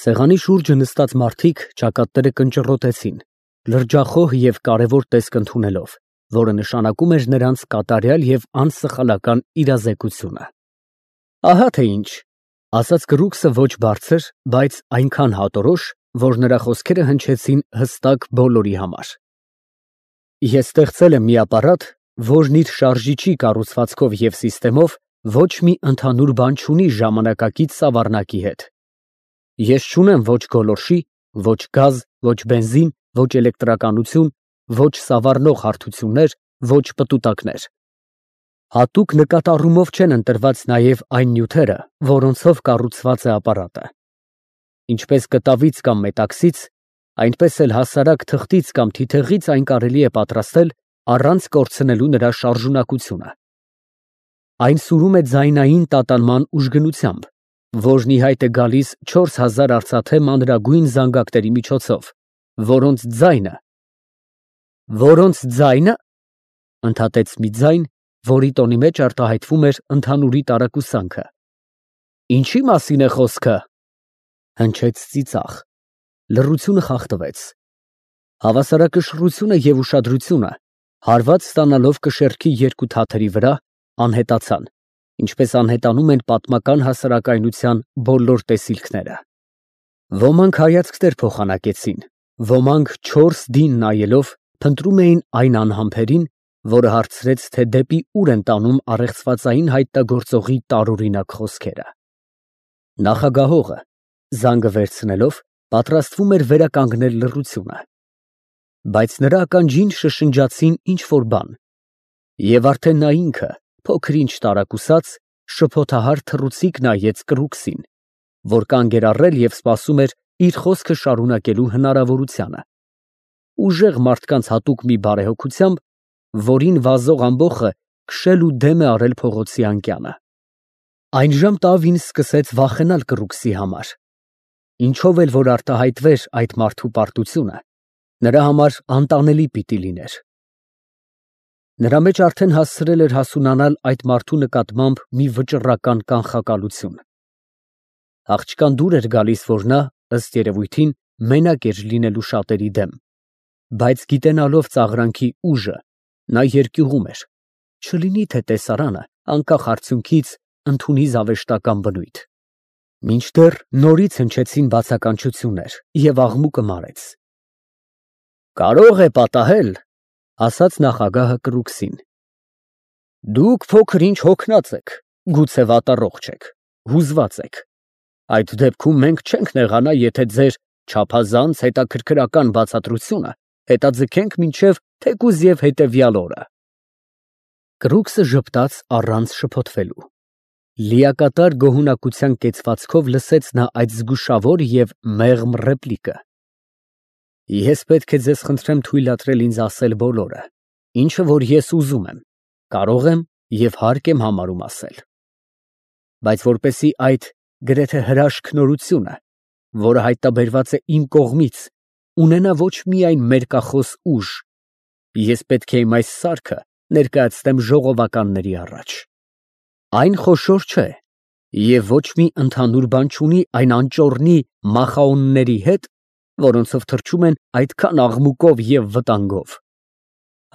Սեղանի շուրջը նստած մարդիկ ճակատները կնճռոտեցին, լրջախոհ և կարևոր տեսք ընդունելով, որը նշանակում էր նրանց կատարյալ և անսխալական իրազեկությունը։ Ահա թե ինչ, ասաց կրուքսը ոչ բարձր, բայց այնքան հատորոշ, որ նրա խոսքերը հնչեցին հստակ բոլորի համար։ Ես ստեղծել եմ մի ապարատ, որն իր շարժիչի կառուցվածքով և սիստեմով ոչ մի ընդհանուր բան չունի ժամանակակից սավառնակի հետ։ Ես չունեմ ոչ գոլորշի, ոչ գազ, ոչ բենզին, ոչ էլեկտրականություն, ոչ սավառնող հարթություններ, ոչ պտուտակներ։ Հատուկ նկատառումով չեն ընտրված նաև այն նյութերը, որոնցով կառուցված է ապարատը։ Ինչպես կտավից կամ մետաքսից, այնպես էլ հասարակ թղթից կամ թիթեղից այն կարելի է պատրաստել առանց կորցնելու նրա շարժունակությունը։ Այն սուրում է ձայնային տատանման ուժգնությամբ, որն ի հայտ է գալիս 4000 արծաթե մանրագույն զանգակների միջոցով, որոնց ձայնը, ընդհատեց մի ձայն, որի տոնի մեջ արտահայտվում էր ընդհանուրի տարակուսանքը։ Ինչի՞ մասին է խոսքը, հնչեց ծիծաղ։ Լռությունը խախտվեց։ Հավասարակշռությունը և ուշադրությունը, հարված ստանալով կշեռքի երկու թաթերի վրա, անհետացան, ինչպես անհետանում են պատմական հասարակայնության բոլոր տեսիլքները։ Ոմանք հայացքներ փոխանակեցին, ոմանք չորս դին նայելով փնտրում էին այն անհամբերին, որը հարցրեց, թե դեպի ուր են տանում առեղծվածային հայտնագործողի տարօրինակ խոսքերը։ Նախագահողը, զանգը վերցնելով, պատրաստվում էր վերականգնել լռությունը, բայց նրա ականջին շշնջացին ինչ֊որ բան, և արդեն նա ինքը, փոքր-ինչ տարակուսած, շփոթահար թռուցիկ նայեց կրուքսին, որ կանգ էր առել և սպասում էր իր խոսքը շարունակելու հնարավորությանը, ուժեղ մարդկանց հատուկ մի բարեհոգությամբ, որին վազող ամբոխը քշել ու դեմ է արել փողոցի անկյանը։ Այնժամ Տավին սկսեց վախենալ կրուքսի համար, ինչով էլ որ արտահայտվեր այդ մարդու պարտությունը, նրա համար անտանելի պիտի լիներ։ Նրա մեջ արդեն հասցրել էր հասունանալ այդ մարդու նկատմամբ մի վճռական կանխակալություն։ Աղջկան դուր էր գալիս, որ նա, ըստ երևույթին, մենակ էր լինելու շատերի դեմ, բայց գիտենալով ծաղրանքի ուժը, նա երկյուղում էր, չլինի թե տեսարանը, անկախ արդյունքից, ընդունի զավեշտական բնույթ։ Մինչդեռ նորից հնչեցին բացականչություններ, և աղմուկը մարեց։ Կարող է պատահել, ասաց նախագահը կրուքսին։ Դուք փոքր-ինչ հոգնած եք, գուցե վատառողջ եք, հուզված եք։ Այդ դեպքում մենք չենք նեղանա, եթե ձեր չափազանց հետաքրքրական բացատրությունը հետաձգենք մինչև թեկուզ և հետևյալ օրը։ Կրուքսը ժպտաց առանց շփոթվելու։ Լիակատար գոհունակության կեցվածքով լսեց նա այդ զգուշավոր և մեղմ ռեպլիկը։ Ես պետք է ձեզ խնդրեմ թույլատրել ինձ ասել բոլորը, ինչը որ ես ուզում եմ, կարող եմ և հարկ եմ համարում ասել։ Բայց որպեսզի այդ գրեթե հրաշք նորությունը, որը հայտնաբերված է իմ կողմից, ունենա ոչ միայն մերկախոս ուժ, ես պետք է իմ այս սարքը ներկայացնեմ ժողովականների առաջ։ Այն խոշոր չէ և ոչ մի ընդհանուր բան չունի այն անճոռնի մախաոնների հետ, որոնցով թռչում են այդքան աղմուկով և վտանգով։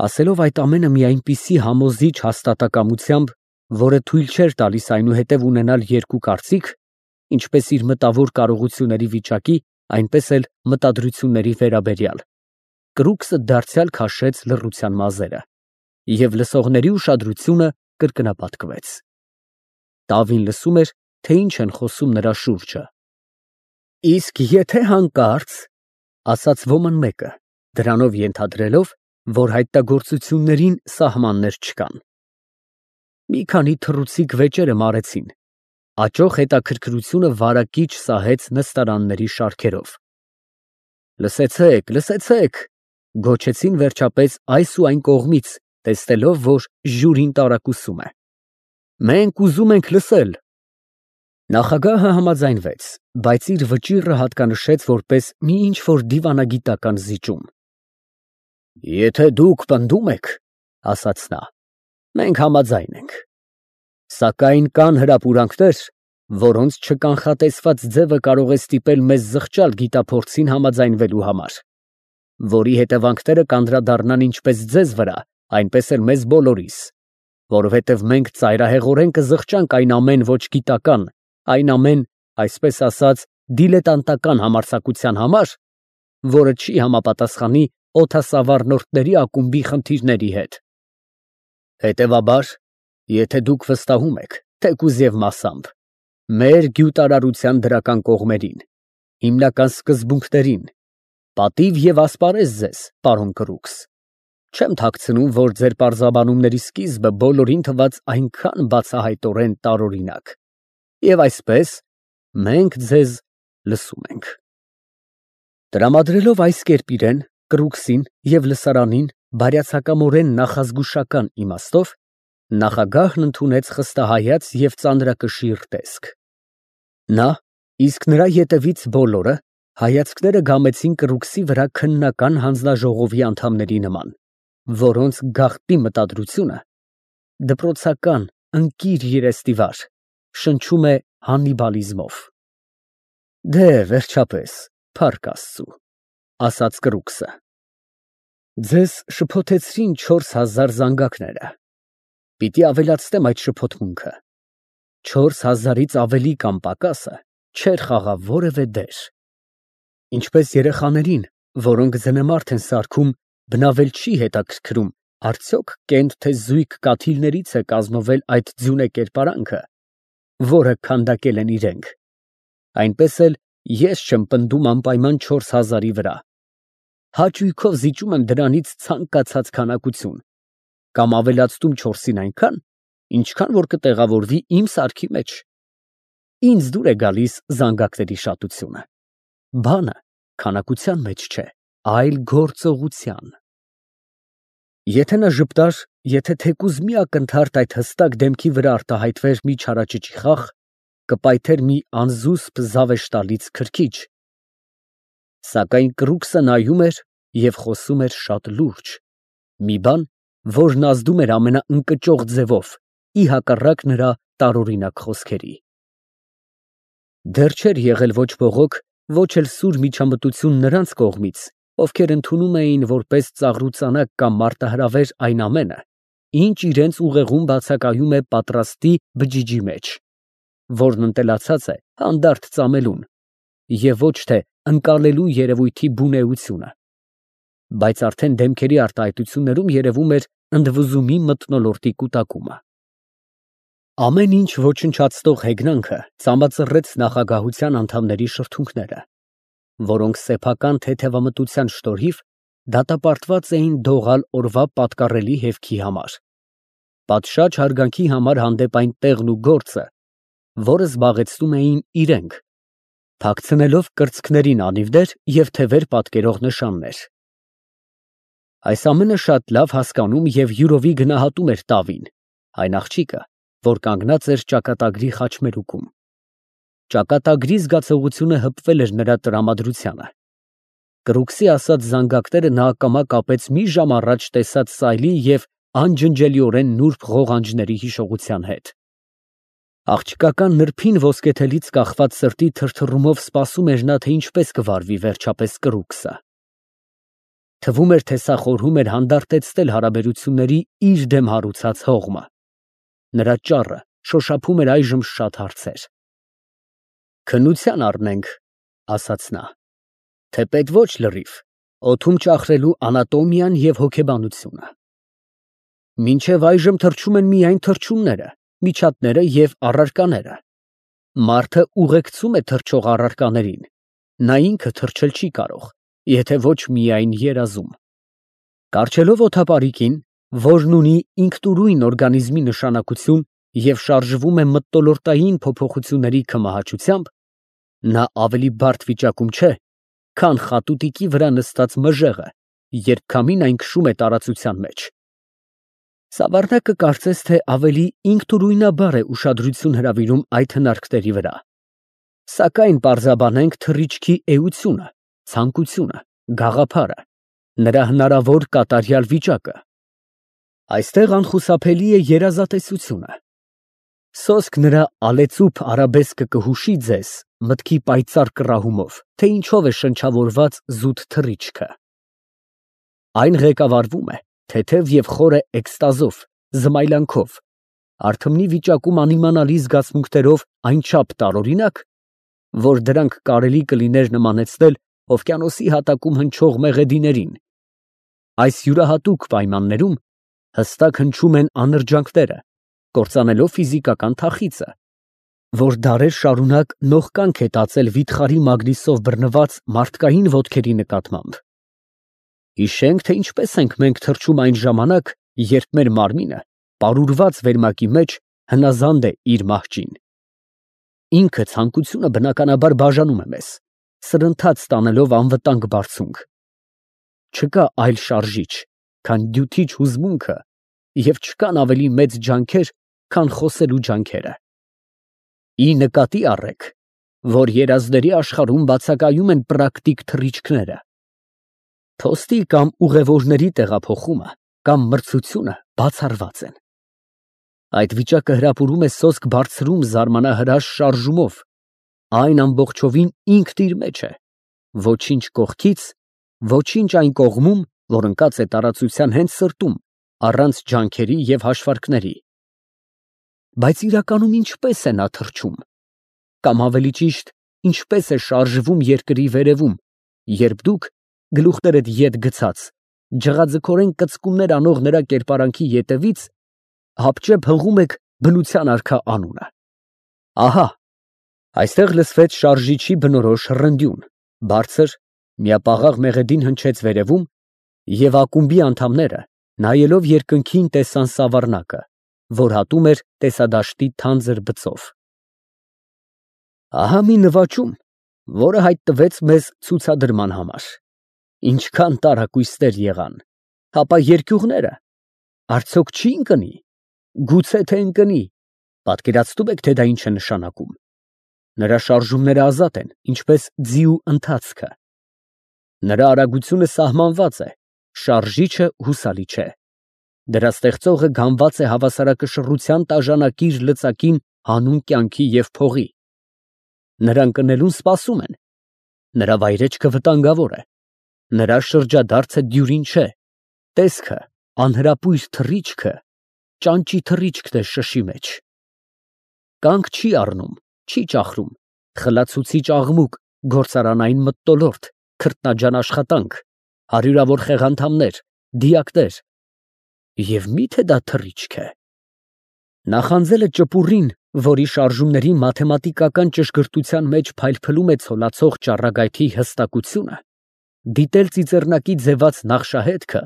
Ասելով այդ ամենը մի այնպիսի համոզիչ հաստատակամությամբ, որը թույլ չէր տալիս այնուհետև ունենալ երկու կարծիք, ինչպես իր մտավոր կարողությունների վիճակի, այնպես էլ մտադրությունների վերաբերյալ, կրուքսը դարձյալ քաշեց լռության մազերը, և լսողների ուշադրությունը կրկնապատկվեց։ Տավին լսում էր, թե ինչ են խոսում նրա շուրջը։ Իսկ եթե հանկարծ, ասաց ոմն մեկը, դրանով ենթադրելով, որ հայտնագործություններին սահմաններ չկան։ Մի քանի թռուցիկ վեճերը մարեցին, աճող հետաքրքրությունը վարակիչ սահեց նստարանների շարքերով։ Լսեցեք, լսեցեք, գոչեցին վերջապես այս ու այն կողմից, տեսնելով, որ ժյուրին տարակուսում է։ Մենք ուզում ենք լսել։ Նախագահը համաձայնվեց, բայց իր վճիռը հատկանշեց որպես մի ինչ֊որ դիվանագիտական զիջում։ Եթե դուք պնդում եք, ասաց նա, մենք համաձայն ենք։ Սակայն կան հրապուրանքներ, որոնց չկանխատեսված ձևը կարող է ստիպել մեզ զղջալ գիտափորձին համաձայնվելու համար, որի հետևանքները կանդրադառնան ինչպես ձեզ վրա, այնպես էլ մեզ բոլորիս, որովհետև մենք ծայրահեղորեն կզղջանք այն ամեն ոչ գիտական, այն ամեն, այսպես ասած, դիլետանտական համարձակության համար, որը չի համապատասխանի օդասավառնորդների ակումբի խնդիրների հետ։ Հետևաբար, եթե դուք վստահում եք, թեկուզ և մասամբ, մեր գյուտարարության դրական կողմերին, հիմնական սկզբունքներին, պատիվ և ասպարեզ ձեզ, պարոն Կրուքս, չեմ թաքցնում, որ ձեր պարզաբանումների սկիզբը բոլորին թվաց այնքան բացահայտորեն տարօրինակ, և այսպես մենք ձեզ լսում ենք։ Տրամադրելով այս կերպ իրեն, Կրուքսին և լսարանին բարյացակամորեն նախազգուշական իմաստով, նախագահն ընդունեց խստահայաց և ծանրակշիռ տեսք։ Նա, իսկ նրա ետևից բոլորը, հայացքները գամեցին Կրուքսի վրա քննական հանձնաժողովի անդամների նման, որոնց գաղտնի մտադրությունը, դպրոցական, ընկիր երեստիվար, շնչում է հաննիբալիզմով։ Դե, վերջապես, փառք Աստծու, ասաց Կրուքսը, ձեզ շփոթեցրին 4000 զանգակները, պիտի ավելացնեմ այդ շփոթմունքը, 4000-ից ավելի կամ պակասը չէր խաղա որևէ դեր, ինչպես երեխաներին, որոնք ձնեմարդ են սարքում, բնավել չի հետաքրքրում, արդյոք կենտ թե զույգ կաթիլներից է կազմվել այդ ձյունե կերպարանքը, որը քանդակել են իրենք, այնպես էլ ես չեմ պնդում անպայման 4000-ի վրա, հաճույքով զիջում եմ դրանից ցանկացած քանակություն, կամ ավելացնում 4-ին այնքան, ինչքան որ կտեղավորվի իմ սարքի մեջ, ինձ դուր է գալիս զանգակների շատությունը, բանը քանակության մեջ չէ, այլ գործողության։ Եթե նա ժպտար, եթե թեկուզ մի ակնթարթ այդ հստակ դեմքի վրա արտահայտվեր մի չարաճճի խաղ, կպայթեր մի անզուսպ զավեշտալից քրքիջ, սակայն Կրուքսը նայում էր և խոսում էր շատ լուրջ, մի բան, որն ազդում էր ամենաընկճող ձևով, ի հակառակ նրա տարօրինակ խոսքերի։ Դեռ չէր եղել ոչ բողոք, ոչ էլ սուր միջամտություն նրանց կողմից, ովքեր ընդունում էին որպես ծաղրուծանակ կամ մարտահրավեր այն ամենը, ինչ իրենց ուղեղում բացակայում է պատրաստի բջիջի մեջ, որն ընտելացած է հանդարտ ծամելուն, և ոչ թե ընկալելու երևույթի բունեությունը, բայց արդեն դեմքերի արտահայտություններում երևում էր ընդվզումի մթնոլորտի կուտակումը։ Ամեն ինչ ոչնչացնող հեգնանքը ծամբածռեց նախագահության անդամների շրթունքները, որոնք սեփական թեթևամտության շնորհիվ դատապարտված էին դողալ օրվա պատկառելի հևքի համար, պատշաճ հարգանքի համար հանդեպ այն տեղն ու գործը, որը զբաղեցնում էին իրենք, թաքցնելով կրծքներին անիվներ և թևեր պատկերող նշաններ։ Այս ամենը շատ լավ հասկանում և յուրովի գնահատում էր Տավին, այն աղջիկը, որ կանգնած էր ճակատագրի խաչմերուկում։ Ճակատագրի զգացողությունը հպվել էր նրա տրամադրությանը։ Կրուքսի ասած զանգակները նա ակամա կապեց մի ժամ առաջ տեսած սայլի և անջնջելիորեն նուրբ ղողանջների հիշողության հետ։ Աղջկական նրբին ոսկեթելից կախված սրտի թրթռումով սպասում էր նա, թե ինչպես կվարվի վերջապես Կրուքսը։ Թվում էր, թե սա խորհում էր հանդարտեցնել հարաբերությունների իր դեմ հարուցած հողմը։ Նրա ճառը շոշափում էր այժմ շատ հարցեր։ Քննության առնենք, ասաց նա, թեպետ ոչ լրիվ, օդում ճախրելու անատոմիան և հոգեբանությունը։ Մինչև այժմ թռչում են միայն թռչունները, միջատները և առարկաները։ Մարդը ուղեկցում է թռչող առարկաներին, նա ինքը թռչել չի կարող, եթե ոչ միայն երազում։ Կառչելով օդապարիկին, որն ունի ինքնուրույն օրգանիզմի նշանակություն և շարժվում է մթնոլորտային փոփոխությունների քմահաճությամբ, նա ավելի բարդ վիճակում չէ, քան խատուտիկի վրա նստած մժեղը, երբ քամին այն քշում է տարածության մեջ։ Սավառնակը կարծես թե ավելի ինքնուրույնաբար է ուշադրություն հրավիրում այդ հնարքների վրա։ Սակայն պարզաբանենք թռիչքի էությունը, ցանկությունը, գաղափարը, նրա հնարավոր կատարյալ վիճակը։ Այստեղ անխուսափելի է երազատեսությունը։ Սոսկ նրա ալեցուփ արաբեսկը կհուշի ձեզ մտքի պայծառ կռահումով, թե ինչով է շնչավորված զուտ թռիչքը։ Այն ղեկավարվում է թեթև և խորը էքստազով, զմայլանքով, արթմնի վիճակում անիմանալի զգացմունքներով այնչափ տարօրինակ, որ դրանք կարելի կլիներ նմանեցնել օվկիանոսի հատակում հնչող մեղեդիներին։ Այս յուրահատուկ պայմաններում հստակ հնչում են անրջանքները, կործանելով ֆիզիկական թախիծը, որ դարեր շարունակ նողկանք է տածել վիթխարի մագնիսով բռնված մարդկային ոտքերի նկատմամբ։ Հիշենք, թե ինչպես ենք մենք թռչում այն ժամանակ, երբ մեր մարմինը, պարուրված վերմակի մեջ, հնազանդ է իր մահճին։ Ինքը ցանկությունը բնականաբար բաժանում է մեզ, սրընթաց տանելով անվտանգ բարձունք։ Չկա այլ շարժիչ, քան դյութիչ հուզմունքը, և չկան ավելի մեծ ջանքեր, քան խոսելու ջանքերը։ Ի նկատի առեք, որ երազների աշխարհում բացակայում են պրակտիկ թռիչքները։ Փոստի կամ ուղևորների տեղափոխումը կամ մրցությունը բացառված են։ Այդ վիճակը հրապուրում է սոսկ բարձրում զարմանահրաշ շարժումով, այն ամբողջովին ինքն իր մեջ է, ոչինչ կողքից, ոչինչ այն կողմում, որ ընկած է տարածության հենց սրտում, առանց ջանքերի և հաշվարկների։ Բայց իրականում ինչպես է նա թռչում, կամ ավելի ճիշտ, ինչպես է շարժվում երկրի վերևում, երբ դուք, գլուխներդ ետ գցած, ջղաձգորեն կծկումներ անող նրա կերպարանքի ետևից հապճեպ հղում եք բնության արքա անունը։ Ահա, այստեղ լսվեց շարժիչի բնորոշ հռնդյուն, բարձր, միապաղաղ մեղեդին հնչեց վերևում, և ակումբի անդամները, նայելով երկնքին, տեսան սավառնակը, որ հատում էր տեսադաշտի թանձր բծով։ Ահա մի նվաճում, որը հայտնվեց մեզ ցուցադրման համար։ Ինչքան տարակույսներ եղան, հապա երկյուղները, արդյոք չի ընկնի, գուցե թե ընկնի, պատկերացնում եք, թե դա ինչ է նշանակում։ Նրա շարժումները ազատ են, ինչպես ձիու ընթացքը։ Նրա արագությունը սահմանված է, շարժիչը հուսալի չէ։ Դրա ստեղծողը գանված է հավասարակշռության տաժանակիր լծակին հանուն կյանքի և փողի։ Նրան ընկնելուն սպասում են։ Նրա վայրեջքը վտանգավոր է։ Նրա շրջադարձը դյուրին չէ, տեսքը, անհրապույր թռիչքը, ճանճի թռիչքն է շշի մեջ։ Կանգ չի առնում, չի ճախրում, խլացուցիչ աղմուկ, գործարանային մթնոլորտ, քրտնաջան աշխատանք, հարյուրավոր խեղանդամներ, դիակներ։ Եվ մի՞թե դա թռիչք է։ Նախանձել է ճպուռին, որի շարժումների մաթեմատիկական ճշգրտության մեջ փայլփլում է ցոլացող ճառագայթի հստակությունը, դիտել ծիծեռնակի ձևած նախշահետքը,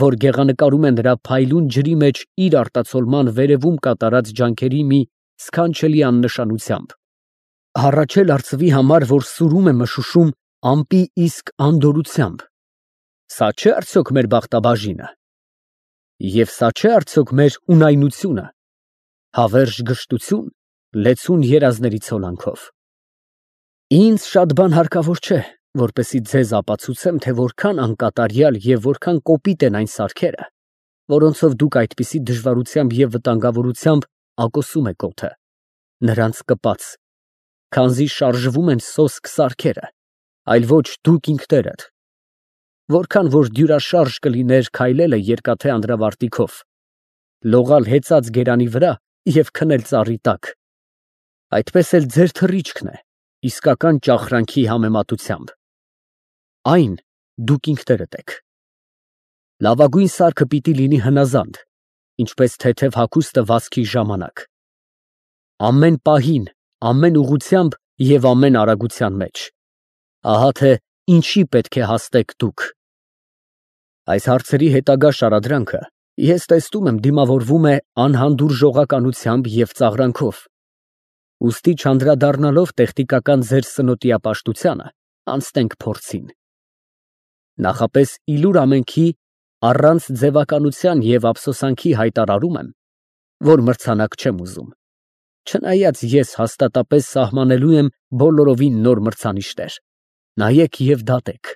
որ գեղանկարում է նրա փայլուն ջրի մեջ իր արտացոլման վերևում կատարած ջանքերի մի սքանչելի աննշանությամբ, հառաչել արծվի համար, որ սուրում է մշուշում ամպի իսկ անդորրությամբ։ Սա չէ՞ արդյոք մեր բախտաբաժինը։ Եվ սա չէ՞ արդյոք մեր ունայնությունը, հավերժ գժտություն, լեցուն երազների ցոլանքով։ Ինձ շատ բան հարկավոր չէ, որպեսզի ձեզ ապացուցեմ, թե որքան անկատարյալ և որքան կոպիտ են այն սարքերը, որոնցով դուք այդպիսի դժվարությամբ և վտանգավորությամբ ակոսում եք օդը, նրանց կպած, քանզի շարժվում են սոսկ սարքերը, այլ ոչ դուք ինքներդ։ Որքան որ դյուրաշարժ կլիներ քայլելը երկաթե անդրավարտիքով, լողալ հեծած գերանի վրա և քնել ծառի տակ, այդպես էլ ձեր թռիչքն է, իսկական ճախրանքի համեմատությամբ։ Այն դուք ինքներդ եք։ Լավագույն սարքը պիտի լինի հնազանդ, ինչպես թեթև հագուստը վազքի ժամանակ։ Ամեն պահին, ամեն ուղղությամբ և ամեն արագության մեջ։ Ահա թե ինչի պետք է հաստեք դուք։ Այս հարցերի հետագա շարադրանքը ես տեսնում եմ դիմավորվում է անհանդուրժողականությամբ և ծաղրանքով։ Ուստի չանդրադառնալով տեխնիկական ձեր սնոտիապաշտությանը, անցնենք փորձին։ Նախապես իլուր ամենքի առանց ձևականության և ափսոսանքի հայտարարում եմ, որ մրցանակ չեմ ուզում, չնայած ես հաստատապես սահմանելու եմ բոլորովին նոր մրցանիշներ։ Նայեք և դատեք։